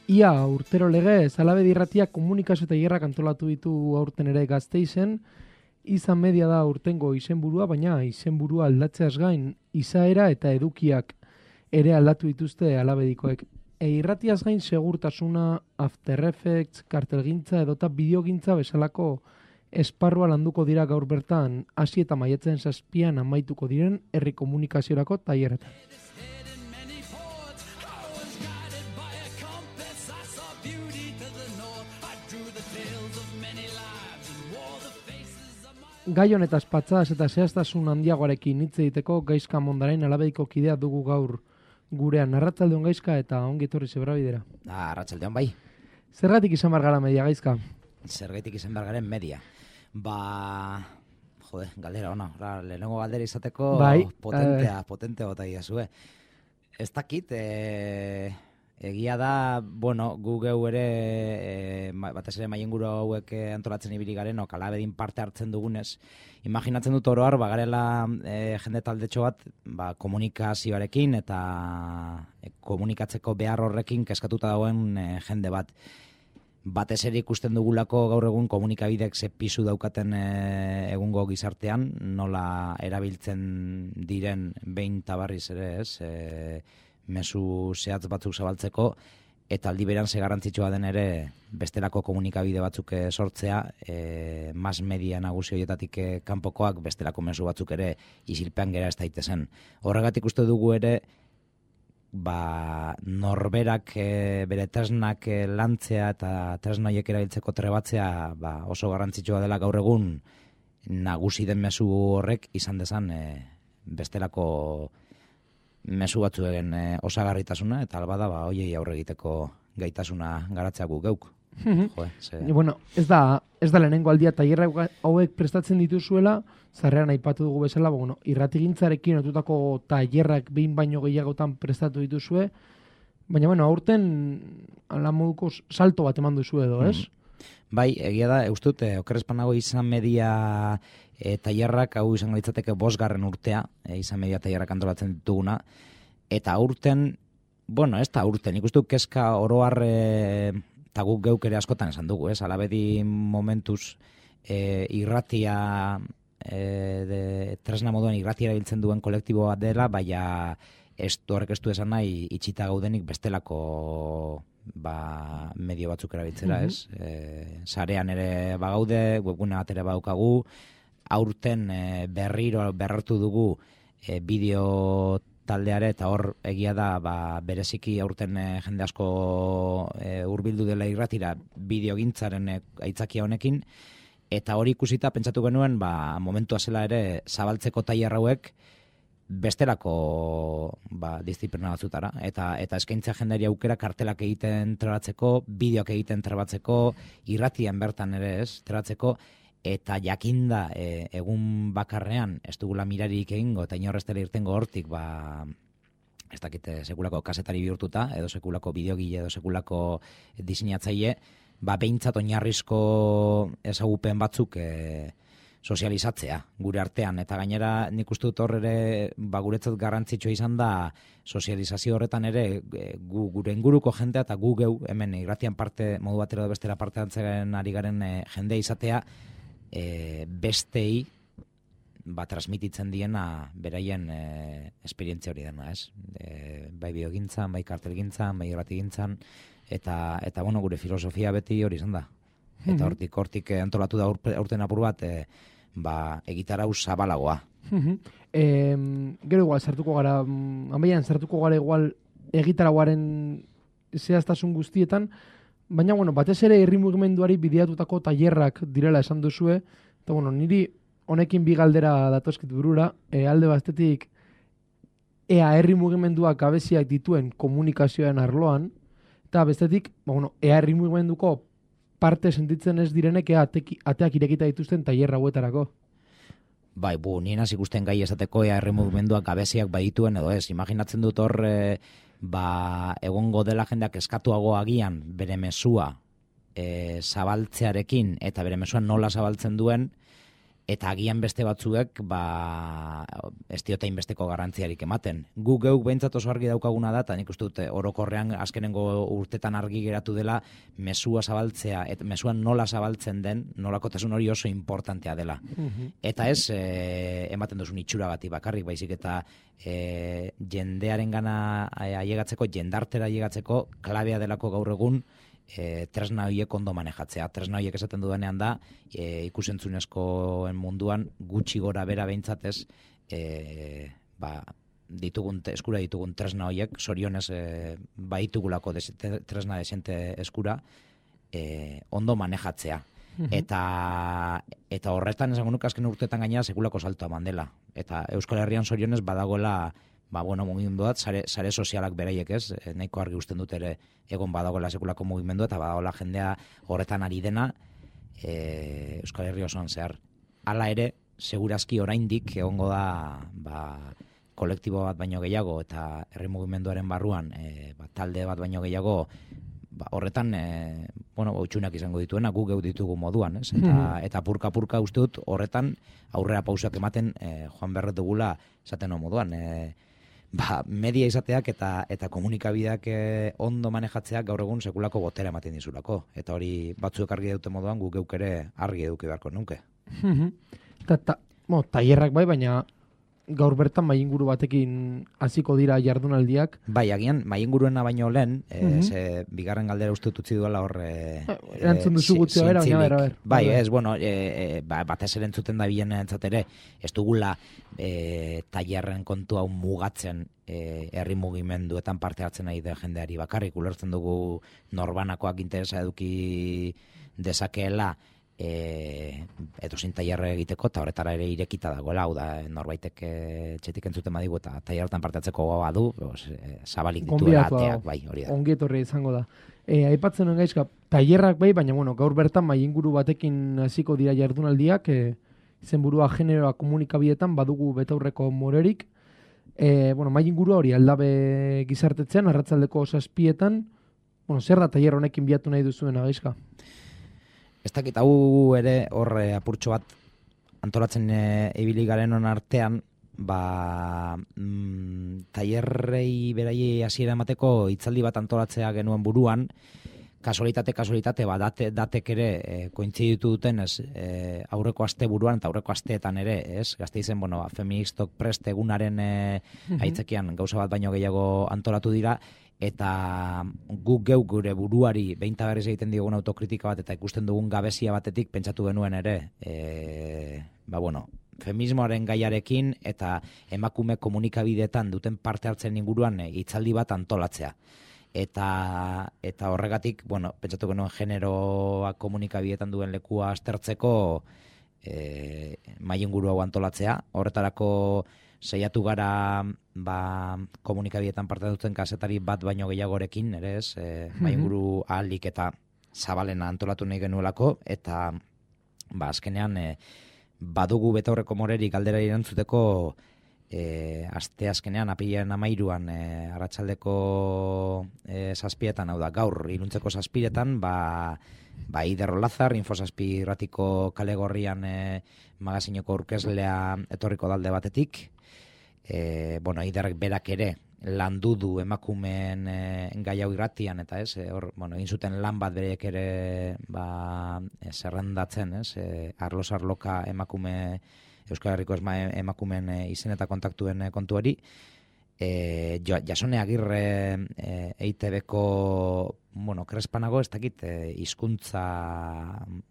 Ia urtero legez, Alabedi irratiak komunikazio tailerrak antolatu ditu aurten ere Gasteizen. Izan media da urtengo izenburua, baina izenburua aldatzeaz gain, izaera eta edukiak ere aldatu dituzte Alabedikoek. Irratiaz gain segurtasuna, After Effects, kartelgintza edota bideogintza bezalako esparrua landuko dira gaur bertan, hasi eta maiatzen 7 amaituko diren herri komunikaziorako tailerretan. Gai honetaz patzadas eta zehaztasun handiagoarekin hitz egiteko Gaizka Mondarain Alabediko kidea dugu gaur gurean. Arratsaldeon Gaizka eta ongi etorri Zebrabidera. Arratsaldeon bai. Zergatik izan behar gara media, Gaizka? Zergatik izan behar garen media. Galdera ona. Lehenengo galdera izateko bai, potentea bota iazue. Ez dakit, egia da, gu geu ere, batez ere mailenguru hauek antolatzen ibili garen, Alabedin parte hartzen dugunez, imaginatzen dut oro har, garela jende taldetxo bat, komunikazioarekin eta komunikatzeko behar horrekin keskatuta dagoen jende bat. Batez ere ikusten dugulako gaur egun komunikabidek ze pisu daukaten egungo gizartean, nola erabiltzen diren behin tabarriz ere ez, mezu zehatz batzuk zabaltzeko, eta aldi beran ze garrantzitsua den ere bestelako komunikabide batzuk sortzea, mas media nagusi horietatik kanpokoak bestelako mezu batzuk ere isilpean gera ez daitezen. Horregatik uste dugu ere, norberak bere tresnak lantzea eta tresnaiek erabiltzeko trebatzea oso garrantzitsua dela gaur egun nagusi den mezu horrek izan dezan bestelako mezu batzuen osagarritasuna eta albada hoiei aurre egiteko gaitasuna garatzea gu geuk. Ez da lehenengo aldia tailerra hauek prestatzen dituzuela, zarrean aipatu dugu bezala, irratigintzarekin otutako tailerrak behin baino gehiagotan prestatu dituzue, baina aurten ala moduko salto bat eman duzu edo, ez? Bai, egia da, eustut, okerrezpanago izan media tailerrak, hau izango ditzateke 5. urtea, izan media tailerrak antolatzen dituguna, eta aurten, ez da aurten, ikustu kezka oroar eta guk geuk ere askotan esan dugu, ez? Alabedi momentuz irratia, tresna moduan irratia erabiltzen duen kolektibo bat dela, baina horrek ez du esan nahi itxita gaudenik bestelako medio batzuk erabiltzera, ez? Sarean ere bagaude, webgune bat ere badaukagu, aurten berrartu dugu bideo taldeare, eta hor egia da bereziki aurten jende asko hurbildu dela irratira bideogintzaren aitzakia honekin, eta hori ikusita pentsatu genuen momentua zela ere zabaltzeko tailer hauek bestelako disiplina batzutara, eta eskaintzea jendeari aukera kartelak egiten trebatzeko, bideoak egiten trebatzeko, irratian bertan ere ez trebatzeko, eta jakinda egun bakarrean ez dugula mirarik egingo eta inorrez dela irtengo hortik ez dakite sekulako kasetari bihurtuta edo sekulako bideogile edo sekulako diseinatzaile, behintzat oinarrizko ezagupen batzuk sozializatzea gure artean, eta gainera nik uste dut hor ere guretzat garrantzitsua izan da sozializazio horretan ere gure inguruko jendea eta gu geu hemen irratian parte modu batera edo bestera parte hartzen ari garen jendea izatea bestei transmititzen diena beraien esperientzia hori dena, ez? Bai biogintzan, bai kartelgintzan, bai irratigintzan, eta gure filosofia beti hori izan da. Eta hortik antolatu da aurten apur bat, egitarau zabalagoa. Gero igual, sartuko gara, sartuko gara igual egitarauaren zehaztasun guztietan, baina, batez ere herri mugimenduari bideatutako tailerrak direla esan duzue, eta, niri honekin bi galdera datozkit burura, alde batetik, ea herri mugimenduak gabeziak dituen komunikazioaren arloan, eta bestetik, ea herri mugimenduko parte sentitzen ez direnek, ea ateak irekita dituzten tailer hauetarako. Bai, nien hasi ikusten gai esateko ea herri mugimenduak gabeziak badituen edo ez, imaginatzen dut hor egongo dela jendeak eskatuago agian bere mezua zabaltzearekin eta bere mezua nola zabaltzen duen, Eta agian beste batzuek, ez diote inbesteko garrantziarik ematen. Gu geuk behintzat oso argi daukaguna da, eta nik uste dut orokorrean azkenengo urtetan argi geratu dela, mesua zabaltzea, eta mesuan nola zabaltzen den, nolakotasun hori oso importantea dela. Eta ez, ematen duzun itxuragatik bakarrik, baizik eta jendearen gana ailegatzeko, jendartera ailegatzeko, klabea delako gaur egun, tresna horiek ondo manejatzea. Tresna horiek esaten dudanean da, ikusentzunezkoen munduan gutxi gora bera behintzatez, eskura ditugun tresna horiek, sorionez baitugulako tresna desente eskura, ondo manejatzea. Eta horretan esango nuke azken urteetan gainera sekulako saltoa eman dela. Eta Euskal Herrian sorionez badagoela mugimendu bat, sare sozialak beraiek ez, nahiko argi usten dut ere egon badagoela sekulako mugimendu eta badagoela jendea horretan ari dena Euskal Herri osoan zehar. Hala ere, segurazki oraindik egongo da kolektibo bat baino gehiago eta herri mugimenduaren barruan talde bat baino gehiago horretan utxunak izango dituena guk geu ditugu moduan, ez? Eta purka uste dut horretan aurrera pausak ematen joan berret dugula esaten moduan. Media izateak eta komunikabideak ondo manejatzeak gaur egun sekulako botera ematen dizulako. Eta hori batzuek argi dute moduan guk geuk ere argi eduki beharko nuke. Tailerrak bai, baina gaur bertan mainguru batekin hasiko dira jardunaldiak. Bai, agian mainguruena baino lehen, bigarren galdera uste utzi duela hor erantzun duzu gutxi bera, baina bai, ez, batez ere entzuten da bilen ere, ez dugula tailerren kontu hau mugatzen herri mugimenduetan parte hartzen nahi den jendeari bakarrik, ulertzen dugu norbanakoak interesa eduki dezakeela edozein tailerre egiteko, eta horretara ere irekita dagoela, hau da, norbaitek txetik entzuten badigu eta tailerretan parte hartzeko gogoa du, zabalik dituela ateak, bai, hori da. Ongi etorri izango da. Aipatzen nuen gaizka, tailerrak bai, baina gaur bertan mainguru batekin hasiko dira jardunaldiak, izenburua generoa komunikabidetan badugu betaurreko morerik. Maingurua hori aldabe gizartetzean, arratsaldeko 7:00, zer da tailer honekin bilatu nahi duzuena gaizka? Ez dakit hau ere hor apurtxo bat antolatzen ibili garen hon artean, tailerrei beraiei hasiera emateko hitzaldi bat antolatzea genuen buruan, kasualitate, datek ere kointziditu duten aurreko aste buruan eta aurreko asteetan ere, ez? Gasteizen, feministok prest egunaren aitzakian gauza bat baino gehiago antolatu dira, eta guk geuk gure buruari behinta berriz egiten diogun autokritika bat eta ikusten dugun gabezia batetik pentsatu genuen ere, feminismoaren gaiarekin eta emakume komunikabideetan duten parte hartzen inguruan hitzaldi bat antolatzea. Eta horregatik, pentsatu genuen generoa komunikabideetan duen lekua aztertzeko mahai inguru hau antolatzea. Horretarako saiatu gara komunikabideetan parte duten kazetari bat baino gehiagorekin, ere ez, mahai inguru ahalik eta zabalena antolatu nahi genuelako, eta azkenean badugu betaurreko morerik galdera erantzuteko aste azkenean, apilean 13an arratsaldeko 7:00, hau da, gaur iluntzeko 7:00, Ider Olazar, Info7 irratiko kale gorrian magazinoko aurkezlea etorriko dalde batetik. Iderrek berak ere landu du emakumeen gai hau irratian, eta egin zuten lan bat bereek ere zerrendatzen, arloz arloka emakume Euskal Herriko emakumeen izen eta kontaktuen kontuari. Jasone Agirre EITB-ko krespanago, ez dakit hizkuntza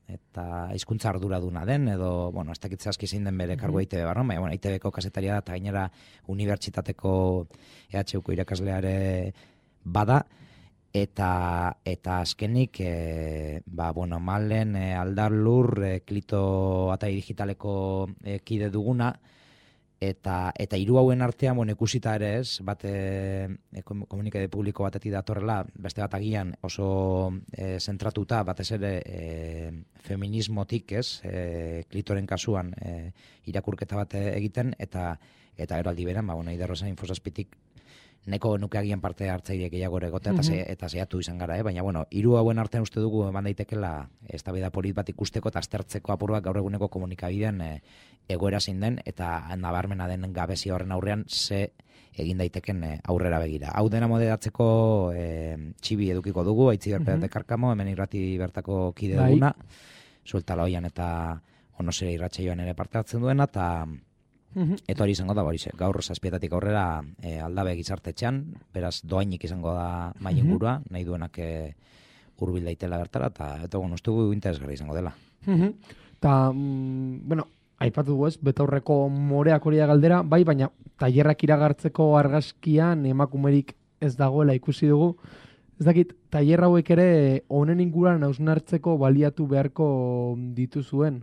eta hizkuntza arduraduna den, edo ez dakit zehazki zein den bere kargu EITB barron, baina EITB-ko kazetaria da eta gainera unibertsitateko EHUko irakaslea ere bada, eta azkenik Malen Aldar Lur Klito Atai Digitaleko kide duguna, eta hiru hauen artean ikusita ere ez, bat komunikabide publiko batetik datorrela, beste bat agian oso zentratuta, batez ere feminismotik, ez, Klitoren kasuan irakurketa bat egiten, eta eraldi beran, Ider Rosa Info7tik neko genuke agian parte hartzaile gehiago ere egotea, eta saiatu izan gara, baina, bueno, hiru hauen artean uste dugu eman daitekela eztabaida polit bat ikusteko eta aztertzeko apur bat gaur eguneko komunikabidean egoera zein den, eta nabarmena den gabezia horren aurrean ze egin daiteken aurrera begira. Hau dena moderatzeko txibi edukiko dugu, Aitziber Pérez Karkamo, hemen irrati bertako kide duguna, Sueltala Oian eta Onosere irratsaioan ere parte hartzen duena, eta hori izango da, gaur 7:00 aurrera Aldabe gizartetxean, beraz doainik izango da mahai ingurua, nahi duenak hurbil daitela bertara, eta bueno, uste dugu interesgarri izango dela. Eta, bueno, aipatu dugu ez, betaurreko moreak hori galdera, bai, baina tailerrak iragartzeko argazkian emakumerik ez dagoela ikusi dugu. Ez dakit, tailer hauek ere honen inguruan hausnartzeko baliatu beharko dituzuen?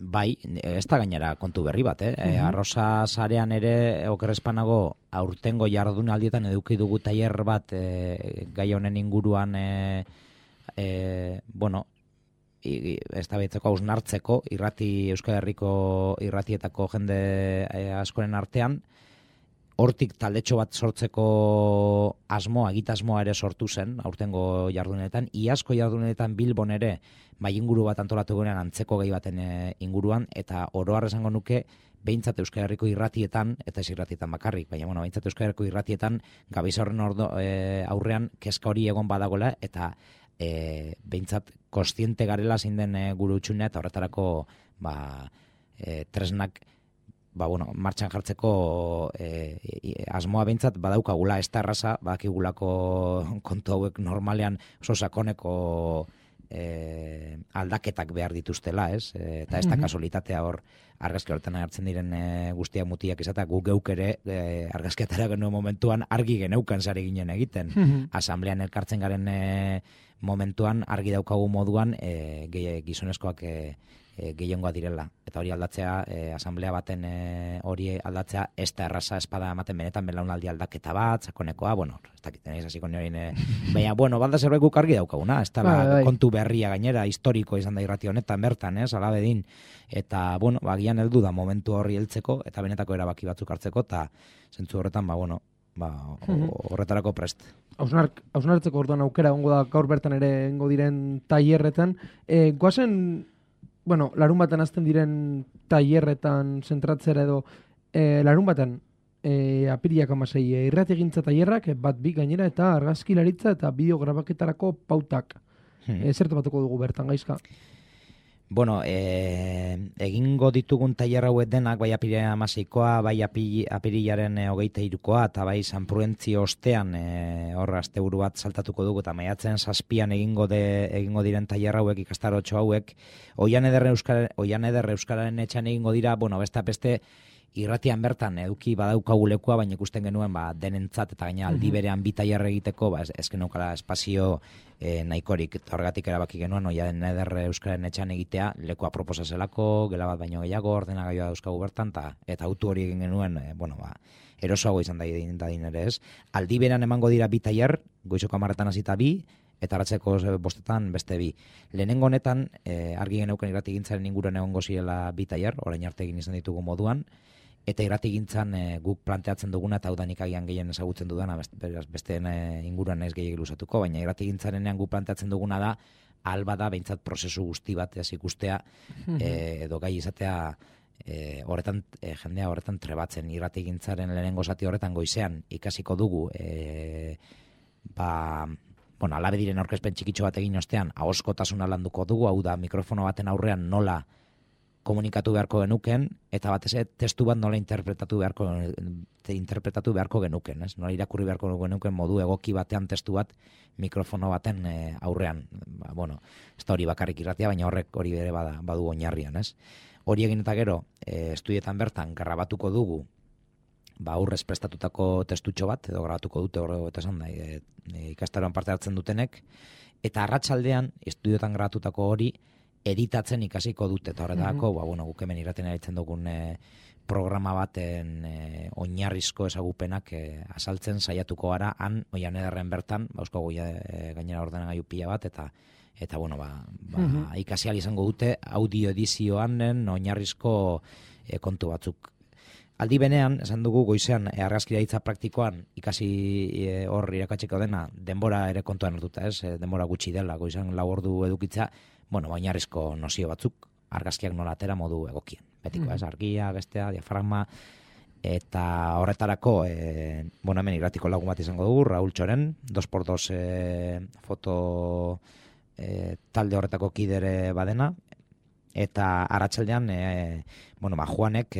Bai, ez da gainera kontu berri bat, Arrosa sarean ere, okerrezpanago, aurtengo jardunaldietan eduki dugu tailer bat gai honen inguruan, bueno, eztabaidatzeko hausnartzeko Euskal Herriko irratietako jende askoren artean, hortik taldetxo bat sortzeko egitasmoa ere sortu zen, aurtengo jardunetan, iazko jardunetan Bilbon ere bai inguru bat antolatu gunean antzeko gai baten inguruan, eta oro har esango nuke, behintzat Euskal Herriko irratietan, eta ez irratietan bakarrik, baina bueno, behintzat Euskal Herriko irratietan gabeza horren aurrean kezka hori egon badagoela, eta behintzat kostiente garela zein den gure utxunea, eta horretarako tresnak martxan jartzeko asmoa behintzat badaukagula, ez da erraza, badakigulako kontu hauek normalean oso sakoneko aldaketak behar dituztela, ez? Eta ez da kasualitatea hor argazki horretan hartzen diren guztiak mutiak izatea, gu geuk ere argazkiatara genuen momentuan argi geneukan sare ginen egiten. Asamblean elkartzen garen momentuan argi daukagu moduan gizonezkoak gehiengoa direla. Eta hori aldatzea, asamblea baten hori aldatzea, ez da erraza espada ematen benetan belaunaldi aldaketa bat, sakonekoa, bueno, ez dakiten ez hasiko nioin, baina, bueno, balda zerbait guk argi daukaguna, ez da kontu berria gainera, historiko izan da irrati honetan bertan, alabedin, eta, bueno, gian heldu da momentu horri heltzeko, eta benetako erabaki batzuk hartzeko, eta zentzu horretan, horretarako prest. Hausnartzeko orduan aukera egongo da gaur bertan ere egongo diren tailerretan. Goazen, bueno, larun baten azten diren tailerretan zentratzera edo, larun baten apiriak 16 irrati egintza tailerrak, bat bi gainera, eta argazkilaritza eta bideograbaketarako pautak. Zertu batuko dugu bertan, Gaizka? Bueno, egingo ditugun tailer hauek denak, bai apirilaren 16koa, bai apirilaren 23koa, eta bai San Prudentzio ostean hor asteburu bat saltatuko dugu, eta maiatzen 7an egingo diren tailer hauek, ikastarotxo hauek, Oian Eder Euskararen etxan egingo dira, bueno, beste irratian bertan eduki badaukagu lekua, baina ikusten genuen denentzat eta gaina aldi berean bi tailer egiteko, ez geneukala espazio nahikorik, eta horregatik erabaki genuen Oian Eder Euskararen etxan egitea, lekua proposa zelako, gela bat baino gehiago, ordenagailua dauzkagu bertan, eta autu hori egin genuen, erosoago izan dadin ere ez. Aldi berean emango dira bi tailer, goizoko 10etan hasita bi, eta arratseko 5etan beste bi. Lehenengo honetan, argi geneuken irratigintzaren inguruan egongo zirela bi tailer, orain arte egin izan ditugu moduan, eta irratigintzan guk planteatzen duguna, eta hau da nik agian gehien ezagutzen dudana, besteen inguruan ez gehiagik luzatuko, baina irratigintzarenean guk planteatzen duguna da, alba da, behintzat prozesu guzti bat ez ikustea, edo gai izatea, jendea horretan trebatzen, irratigintzaren lehenengo zati horretan goizean ikasiko dugu, alabe diren aurkezpen txikitxo bat egin ostean, ahoskotasuna landuko dugu, hau da, mikrofono baten aurrean nola komunikatu beharko genuken, eta batez testu bat nola interpretatu beharko genuken, ez? Nola irakurri beharko genuken modu egoki batean testu bat mikrofono baten aurrean. Ez da hori bakarrik irratia, baina horrek hori bere badu oinarrian, ez? Hori egin eta gero, estudietan bertan grabatuko dugu, aurrez prestatutako testutxo bat, edo grabatuko dute horre eta esan da, ikastaroan parte hartzen dutenek, eta arratsaldean estudiotan grabatutako hori editatzen ikasiko dute, eta horretarako, guk hemen irraten eritzen dugun programa baten oinarrizko ezagupenak azaltzen saiatuko gara, han, Oian Ederren bertan, euskago gainera ordenagailu pila bat, eta ikasi ahal izango dute audio edizioan oinarrizko kontu batzuk aldi benean, esan dugu goizean argazkilaritza praktikoan ikasi hor irakatzeko dena, denbora ere kontuan hartuta, ez? Denbora gutxi dela, goizean 4 ordu edukitza, bueno, oinarrizko nozio batzuk, argazkiak nola atera modu egokien. Betiko, ez? Argia, bestea, diafragma, eta horretarako, bueno, hemen irratiko lagun bat izango dugu, Raúl Txoren, 2x2 foto talde horretako kidere badena, eta arratsaldean, bueno, Juanek,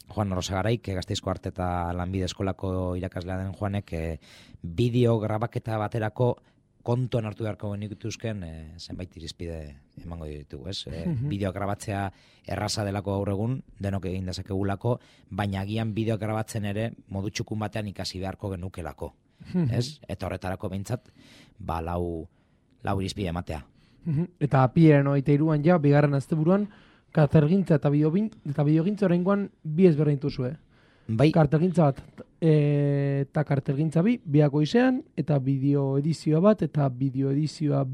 Juan Orosagaraik, Gasteizko Arte eta Lanbide Eskolako irakaslea den Juanek, bideo grabaketa baterako kontuan hartu beharko genituzken zenbait irizpide emango ditugu, ez? Bideo grabatzea erraza delako gaur egun, denok egin dezakegulako, baina agian bideo grabatzen ere modu txukun batean ikasi beharko genukelako, ez? Eta horretarako behintzat, lau irizpide ematea. Eta apiaren 23an ja, bigarren asteburuan, kartelgintza eta bideogintza oraingoan bi ezberdintu zue. Bai. Kartelgintza bat eta kartelgintza biak goizean, eta bideo edizioa bat, eta bideo edizioa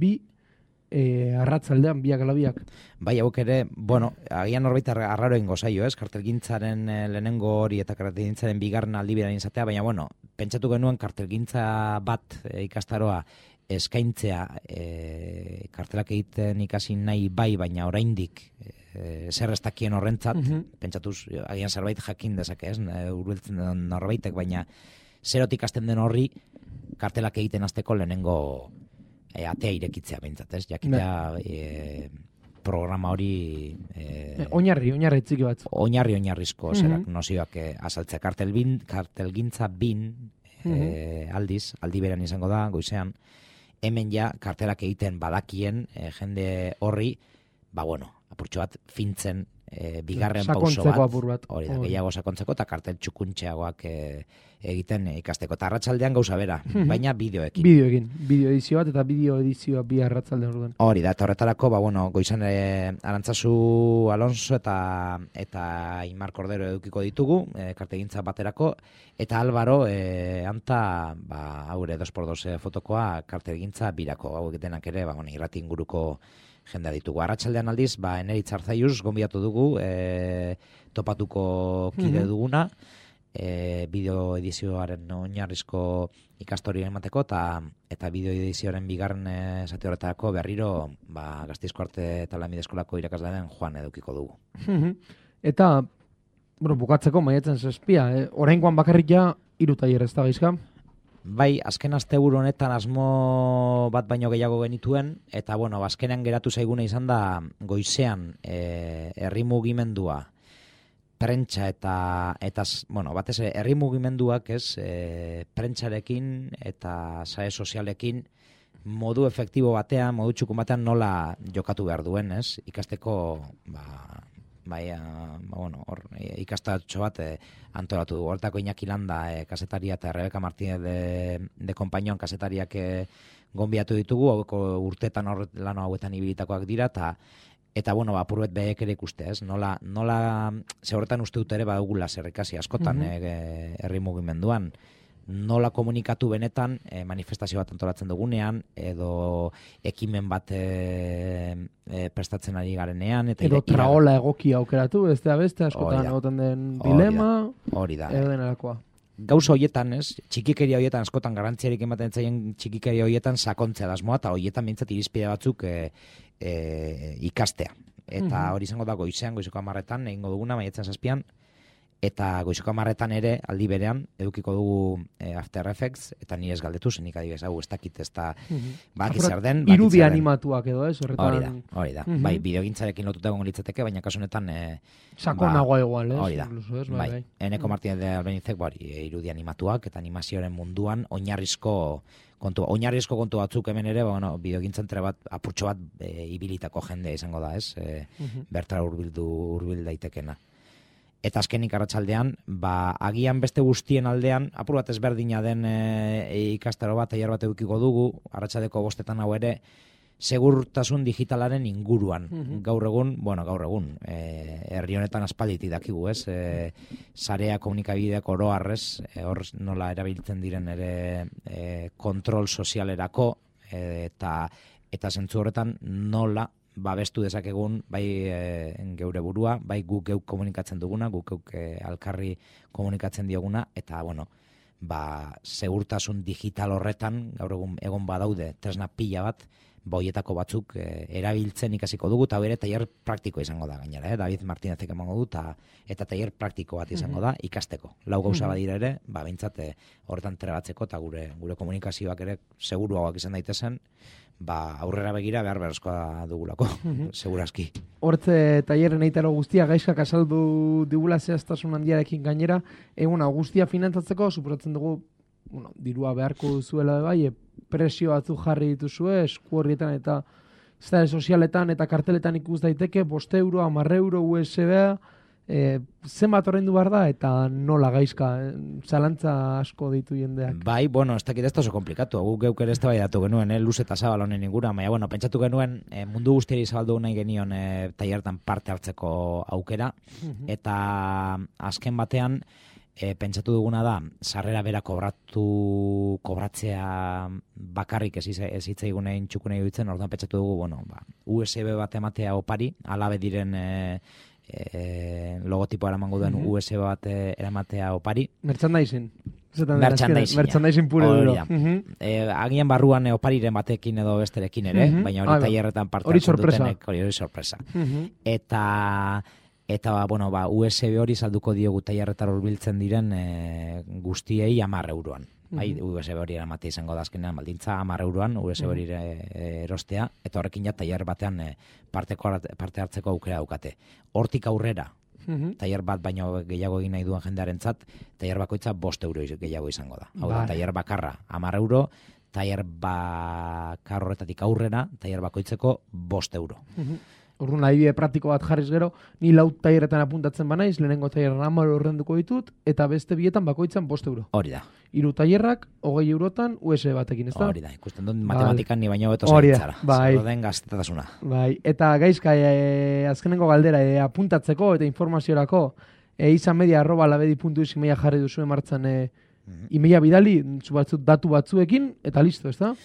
arratzaldean, biak ala biak. Bai, hauek ere, bueno, agian norbait arraro ingo zaio, ez? Kartelgintzaren lehenengo hori eta kartelgintzaren bigarren aldiberan izatea, baina, bueno, pentsatu genuen kartelgintza bat ikastaroa eskaintzea kartelak egiten ikasi nahi bai, baina oraindik zer ez dakien horrentzat, pentsatuz, agian zerbait jakin dezake, ez? Hurbiltzen den norbaitek, baina zerotik hasten den horri kartelak egiten hasteko lehenengo atea irekitzea behintzat, ez? Jakitea programa hori... Oinarri txiki bat. Oinarrizko zerak nozioak azaltzea. Kartelgintza bin aldi beran izango da, goizean, hemen ja kartelak egiten badakien jende horri, bueno, apurtxo bat fintzen bigarren pauso bat, hori da, gehiago sakontzeko eta kartel txukuntxeagoak egiten ikasteko. Eta arratsaldean gauza bera, baina bideoekin. Bideo edizio bat eta bideo edizioa bi arratsaldean orduan. Hori da, eta horretarako, bueno, goizan Arantzazu Alonso eta Imar Cordero edukiko ditugu, kartegintza baterako, eta Álvaro, anta, haure 2x2 fotokoa kartegintza birako, hau denak ere, irrati inguruko jendea ditugu. Arratsaldean aldiz, Eneritz Arzaiuz gonbidatu dugu, topatuko kide duguna, bideo edizioaren oinarrizko ikastoria emateko, eta bideo edizioaren bigarren zati horretarako berriro Gasteizko Arte eta Lanbide Eskolako irakaslearen Juan edukiko dugu. Eta, bukatzeko maiatzen 7, oraingoan bakarrik ja 3 tailer ez da gaizka? Bai, azken asteburu honetan asmo bat baino gehiago genituen, eta azkenean geratu zaiguna izan da goizean herri mugimendua, prentsa eta batez ere herri mugimenduak, prentsarekin eta sare sozialekin modu efektibo batean, modu txukun batean nola jokatu behar duen, ez? Ikasteko ikastatxo bat antolatu du. Hortako Iñaki Landa kasetaria eta Rebeka Martínez de Compañón kasetariak gonbiatu ditugu, urtetan lan hauetan ibilitakoak dira, eta apurbet behek ere ikuste, ez? Nola ze horretan uste dut ere badugula zerrekasi askotan herri mugimenduan, nola komunikatu benetan manifestazio bat antolatzen dugunean, edo ekimen bat prestatzen ari garenean. Edo traola egokia aukeratu, ez da beste, askotan egoten den dilema, edo denarakoa. Gauza horietan, ez? Txikikeria horietan, askotan garrantziarik ematen zaien txikikeria horietan sakontzea dasmoa, eta horietan bintzat irizpide batzuk ikastea. Eta hori izango da goizeko 10:00 egingo duguna, maiatzen 7, eta goizeko 10:00 ere, aldi berean, edukiko dugu After Effects, eta ni ez galdetu, zenik adibidez, hau ez dakit ez da zer den. Irudi animatuak edo, ez? Hori da. Bai, bideogintzarekin lotuta egongo litzateke, baina kasu honetan... Sakonagoa igual, ez? Hori da. Bai, Eneko Martínez de Albenizek, irudi animatuak, eta animazioaren munduan oinarrizko kontu batzuk hemen ere, bideogintzan bat, apurtxo bat ibilitako jende izango da, ez? Bertara hurbil daitekena. Eta azkenik arratsaldean, agian beste guztien aldean, apur bat ezberdina den ikastaro bat, aiar bat edukiko dugu, arratsaldeko 5 hau ere, segurtasun digitalaren inguruan. Gaur egun, herri honetan aspalditik dakigu, ez? Sarea komunikabideak oro harrez, hor nola erabiltzen diren ere kontrol sozialerako, eta zentzu horretan nola babestu dezakegun bai geure burua, bai guk geuk komunikatzen duguna, guk geuk alkarri komunikatzen dioguna, eta bueno, segurtasun digital horretan, gaur egun badaude tresna pila bat, boietako batzuk erabiltzen ikasiko dugu, eta bere tailer praktiko izango da gainera, David Martinezek emango du, eta tailer praktiko bat izango da ikasteko. Lau gauza badira ere, behintzat horretan trebatzeko, eta gure komunikazioak ere seguruagoak izan daitezen, aurrera begira behar beharrezkoa dugulako, segurazki. Hortze tailerren eitaro guztia gaizkak azaldu digula zehaztasun handiarekin gainera, eguna guztia finantzatzeko, suposatzen dugu, dirua beharko duzuela bai, presio batzu jarri dituzue, esku horrietan eta zare sozialetan eta karteletan ikus daiteke, 5 euro, 10 euro, USB-a, zenbat ordaindu behar da eta nola gaizka, zalantza asko ditu jendeak. Bai, bueno, ez dakit ez da oso komplikatu, guk geuk ere ez da datu genuen, luz eta zabal honen ingura, baina, bueno, pentsatu genuen mundu guztiari zabaldu nahi genion tailertan parte hartzeko aukera, eta azken batean, pentsatu duguna da, sarrera bera kobratzea bakarrik ez hitzaigunein txukune dutzen, orduan pentsatu dugu, bueno, USB bat ematea opari, alabe diren logotipoa eramango duen USB bat eramatea opari. Merchandising. Merchandising pure duro. Agian barruan opariren batekin edo besterekin ere, baina hori tailerretan parte hartzen dutenek, hori sorpresa. Eta bueno, USB hori salduko diogu tailerretar hurbiltzen diren guztiei 10 euroan. USB hori eramate izango da azkenean baldintza 10 euroan USB hori erostea, eta horrekin ja tailer batean parte hartzeko aukera daukate. Hortik aurrera, tailer bat baino gehiago egin nahi duen jendearentzat, tailer bakoitza 5 euro gehiago izango da. Hau da, tailer bakarra 10 euro, tailer bakar horretatik aurrera, tailer bakoitzeko 5 euro. Orduan, adibide praktiko bat jarriz gero, ni 4 tailerretan apuntatzen banaiz, lehenengo tailerran 10 orrenduko ditut, eta beste bietan bakoitzan 5 euro. Hori da. 3 tailerrak, 20 eurotan, USB batekin, ez da? Hori da, ikusten dut matematikan ni baino beto zaitzara. Zer den gaztetasuna. Bai, eta gaizka, azkenengo galdera, apuntatzeko eta informaziorako, izanmedia@labedi.es emaila jarri duzu martzan emaila bidali, datu batzuekin, eta listo, ez da?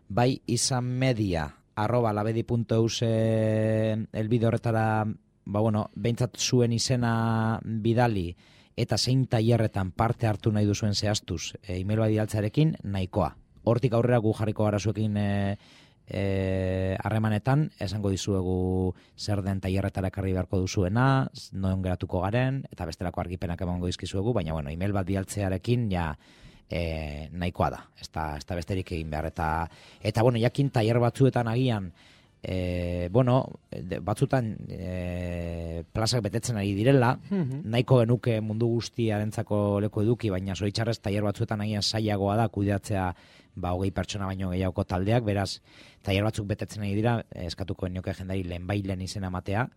Bai, izanmedia@labedi.eus elbide horretara, behintzat zuen izena bidali eta zein tailerretan parte hartu nahi duzuen zehaztuz email bat bidaltzearekin nahikoa. Hortik aurrera gu jarriko gara zuekin harremanetan, esango dizuegu zer den tailerretara ekarri beharko duzuena, non geratuko garen, eta bestelako argipenak emango dizkizuegu, baina email bat bidaltzearekin ja nahikoa da, ez da besterik egin behar, eta jakin tailer batzuetan agian, batzutan plazak betetzen ari direla, nahiko genuke mundu guztiarentzako leku eduki, baina zoritxarrez tailer batzuetan agian sailagoa da kudeatzea 20 pertsona baino gehiagoko taldeak, beraz, tailer batzuk betetzen ari dira, eskatuko genioke jendari lehenbailen izena matea,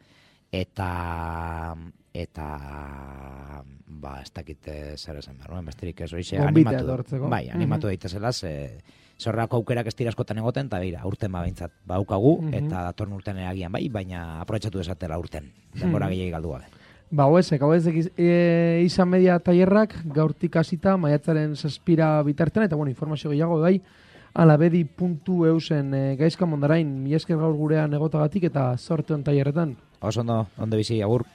eta ez dakit zer esan behar, besterik ez horixe animatu daitezela, zorrako aukerak ez dira askotan egoten, eta beira, urten behintzat baukagu, eta datorn urten agian baina aprobetxatu desatela urten, denbora gehiagik galdu gabe. Hauezek izan media tailerrak gaurtik hasita maiatzaren 7 bitartean, eta informazio gehiago labedi.eusen gaizka mondarain, mila esker gaur gurean egotagatik eta zorteon tailerretan. Oso ondo, onde bizi, agur.